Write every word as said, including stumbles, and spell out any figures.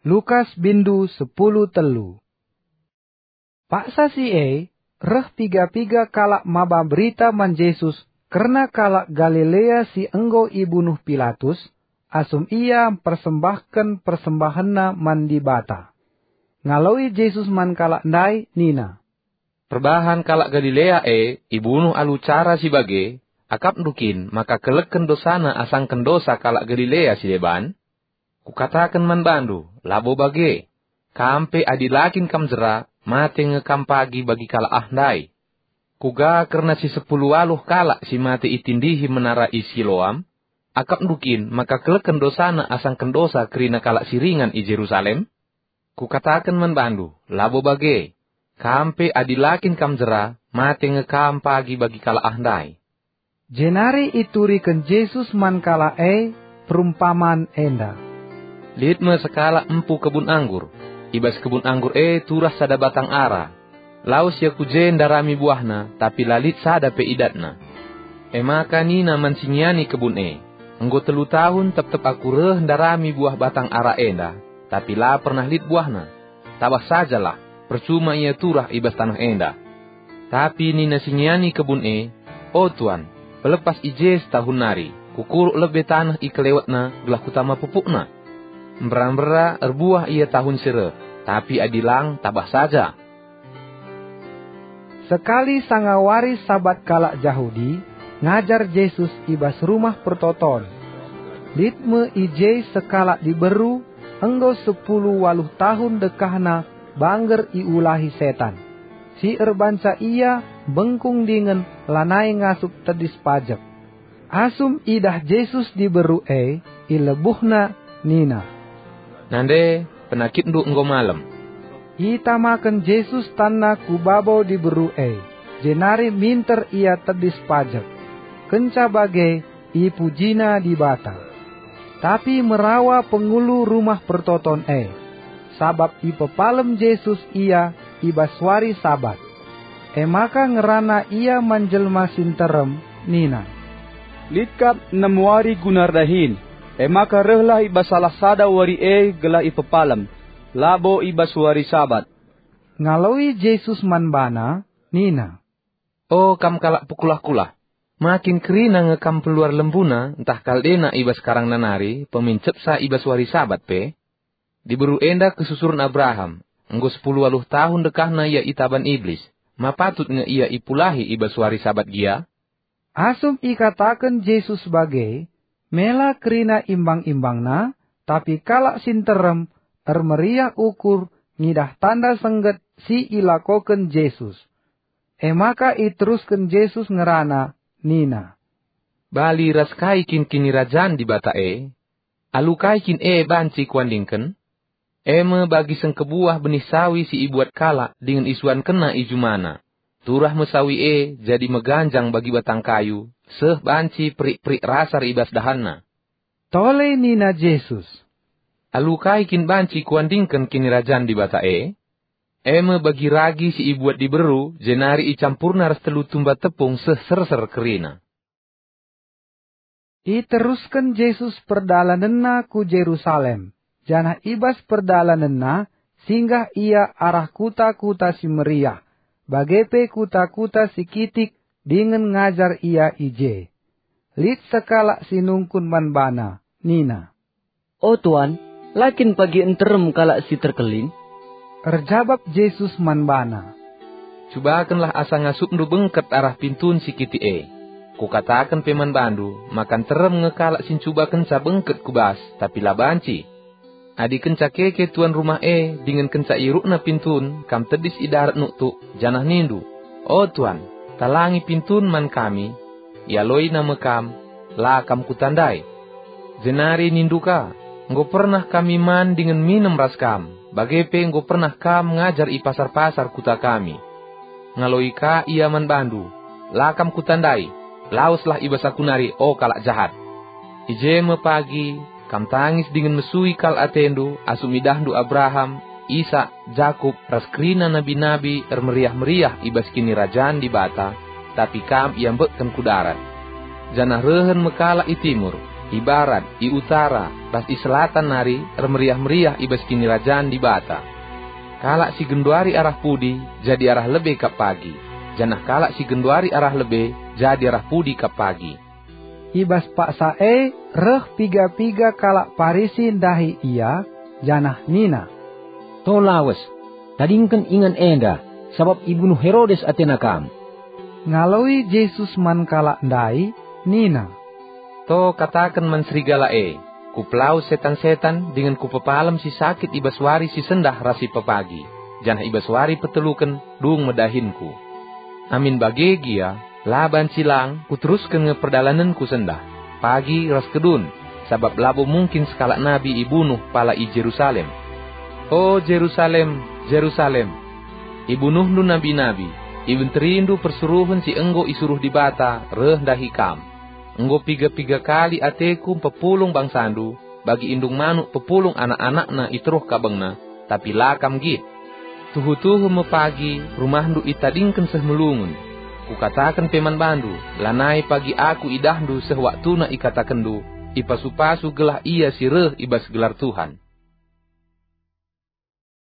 Lukas bindu sepuluh telu. Paksa si e, reh piga-piga kalak maba berita man Jesus kerna kalak Galilea si enggo ibunuh Pilatus, asum ia mpersembahken persembahenna man Dibata. Ngaloi Jesus man kalak ndai nina, "Perbahan kalak Galilea e ibunuh alu cara si bage, akapndu kin maka keleken dosana asangken dosa kalak Galilea si deban? Kukataken man bandu, labo bage. Kam pe adi la kin kam jera, mate nge kam pagi bagi kalak ah ndai. Kuga kerna si sepuluh waluh kalak si mate itindihi menara i Siloam? Akapndu kin maka keleken dosana asangken dosa kerina kalak si ringan i Jerusalem? Kukataken man bandu, labo bage. Kam pe adi la kin kam jera, mate nge kam pagi bagi kalak ah ndai." Jenari ituriken Jesus man kalak e perumpaman enda, "Lit me sekalak empu kebun anggur. I bas kebun anggur e turah sada batang ara. Lawes ia ku je ndarami buahna, tapi la lit sada pe idatna. E maka nina man si ngiani kebun e, 'Enggo telu tahun tep-tep aku reh ndarami buah batang ara enda, tapi la pernah lit buahna. Tabah sajalah, percuma ia turah i bas taneh enda.' Tapi nina si ngiani kebun e, 'O tuan, pelepas i je setahun nari, kukuruk lebe taneh i kelewetna gelah kutama pupukna. Mbera-mbera erbuah ia tahun si reh, tapi adi lang, tabah saja.'" Sekali sanga wari Sabat kalak Jahudi, ngajar Jesus i bas Rumah Pertoton. Lit me i je sekalak diberu, enggo sepuluh waluh tahun dekahna bangger iulahi setan, si erbanca ia bengkung dingen lanai ngasup tedis pajek. Asum idah Jesus diberu e, ilebuhna nina, "Nande, penakitndu enggo malem." Itamaken Jesus tanna ku babo diberu e, jenari minter ia tedis pajek. Kenca bage, ipujina Dibata. Tapi merawa pengulu Rumah Pertoton e, sabap ipepalem Jesus ia i bas wari Sabat. E maka ngerana ia man jelma si nterem nina, "Lit kap enem wari guna erdahin, e maka rehlah i bas salah sada wari e gelah ipepalem, labo i bas wari Sabat." Ngaloi Jesus man bana nina, "O kam kalak pekulah-kulah, ma kin kerina nge kam peluar lembuna ntah kal dena i bas karangna nari, pemin cepsa i bas wari Sabat pe? Diberu enda kesusuren Abraham, enggo sepuluh waluh tahun dekahna ia itaban Iblis. Ma patut nge ia ipulahi i bas wari Sabat gia?" Asum ikataken Jesus bage, mela kerina imbang-imbangna, tapi kalak si nterem ermeriah ukur ngidah tanda sengget si ilakoken Jesus. E maka iterusken Jesus ngerana nina, "Bali ras kai kin Kinirajan Dibata e? Alu kai kin e banci kuandingken? E me bagi sengkebuah benih sawi si ibuat kalak dingen isuankenna i jumana. Turah me sawi e jadi meganjang bagi batang kayu, seh banci perik-perik rasar i bas dahanna." Tole nina Jesus, "Alu kai kin banci kuandingken Kinirajan Dibata e? E me bagi ragi si ibuat diberu, jenari icampurna ras telu tumba tepung seh serser kerina." Iterusken Jesus perdalanenNa ku Jerusalem, janah i bas perdalanenNa singgah Ia arah kuta-kuta si meriah, bage pe kuta-kuta si kitik dingen ngajar Ia i je. Lit sekalak si nungkun man baNa, nina, "O Tuan, la kin pagi nterem kalak si terkelin?" Erjabap Jesus man bana, "Cubakenlah asa ngasupndu bengket arah pintun si kitik e. Kukataken pe man bandu, maka nterem nge kalak si ncubakenca bengket ku bas, tapi la banci. Adi kenca keke tuan rumah e dingen kenca iurukna pintun, kam tedis i darat nuktuk, janah nindu, 'O tuan, talangi pintun man kami,' ialoina me kam, 'La kam kutandai.' Jenari nindu ka, 'Enggo pernah kami man dingen minem ras kam, bage pe enggo pernah kam ngajar i pasar-pasar kuta kami.' Ngaloi ka ia man bandu, 'La kam kutandai, laweslah i bas aku nari, o kalak jahat!' I je me pagi kam tangis dingen mesui kal atendu asum idahndu Abraham, Isak, Jakup, ras kerina nabi-nabi ermeriah-meriah i bas Kinirajan Dibata, tapi kam iambekken ku darat. Janah rehen me kalak i timur, i barat, i utara, ras i selatan nari ermeriah-meriah i bas Kinirajan Dibata. Kalak si genduari arah pudi jadi arah lebe kap pagi, janah kalak si genduari arah lebe jadi arah pudi kap pagi." I bas paksa e reh piga-piga kalak Parisi ndahi Ia, janah nina, "To lawes, tadingken ingan enda, sabap ibunuh Herodes atena Kam." Ngaloi Jesus man kalak ndai nina, "To kataken man serigala e, 'Kupelawes setan-setan dingen Kupepalem si sakit i bas wari si sendah ras si pepagi, janah i bas wari peteluken dung me dahinKu.' Amin bage gia, la banci lang Kuterusken nge perdalanenKu sendah, pagi ras kedun, sabap labo mungkin sekalak nabi ibunuh pala i Jerusalem. O Jerusalem, Jerusalem! Ibunuhndu nabi-nabi, ibenterindu persuruhen si enggo isuruh Dibata reh ndahi kam. Enggo piga-piga kali ateKu mpepulung bangsandu, bagi indung manuk pepulung anak-anakna i teruh kabengna, tapi la kam nggit. Tuhu-tuhu me pagi rumahndu itadingken seh melungun. Kukataken pe man bandu, lanai pagi Aku idahndu seh waktuna ikatakenndu, 'Ipasu-pasu gelah ia si reh i bas gelar Tuhan.'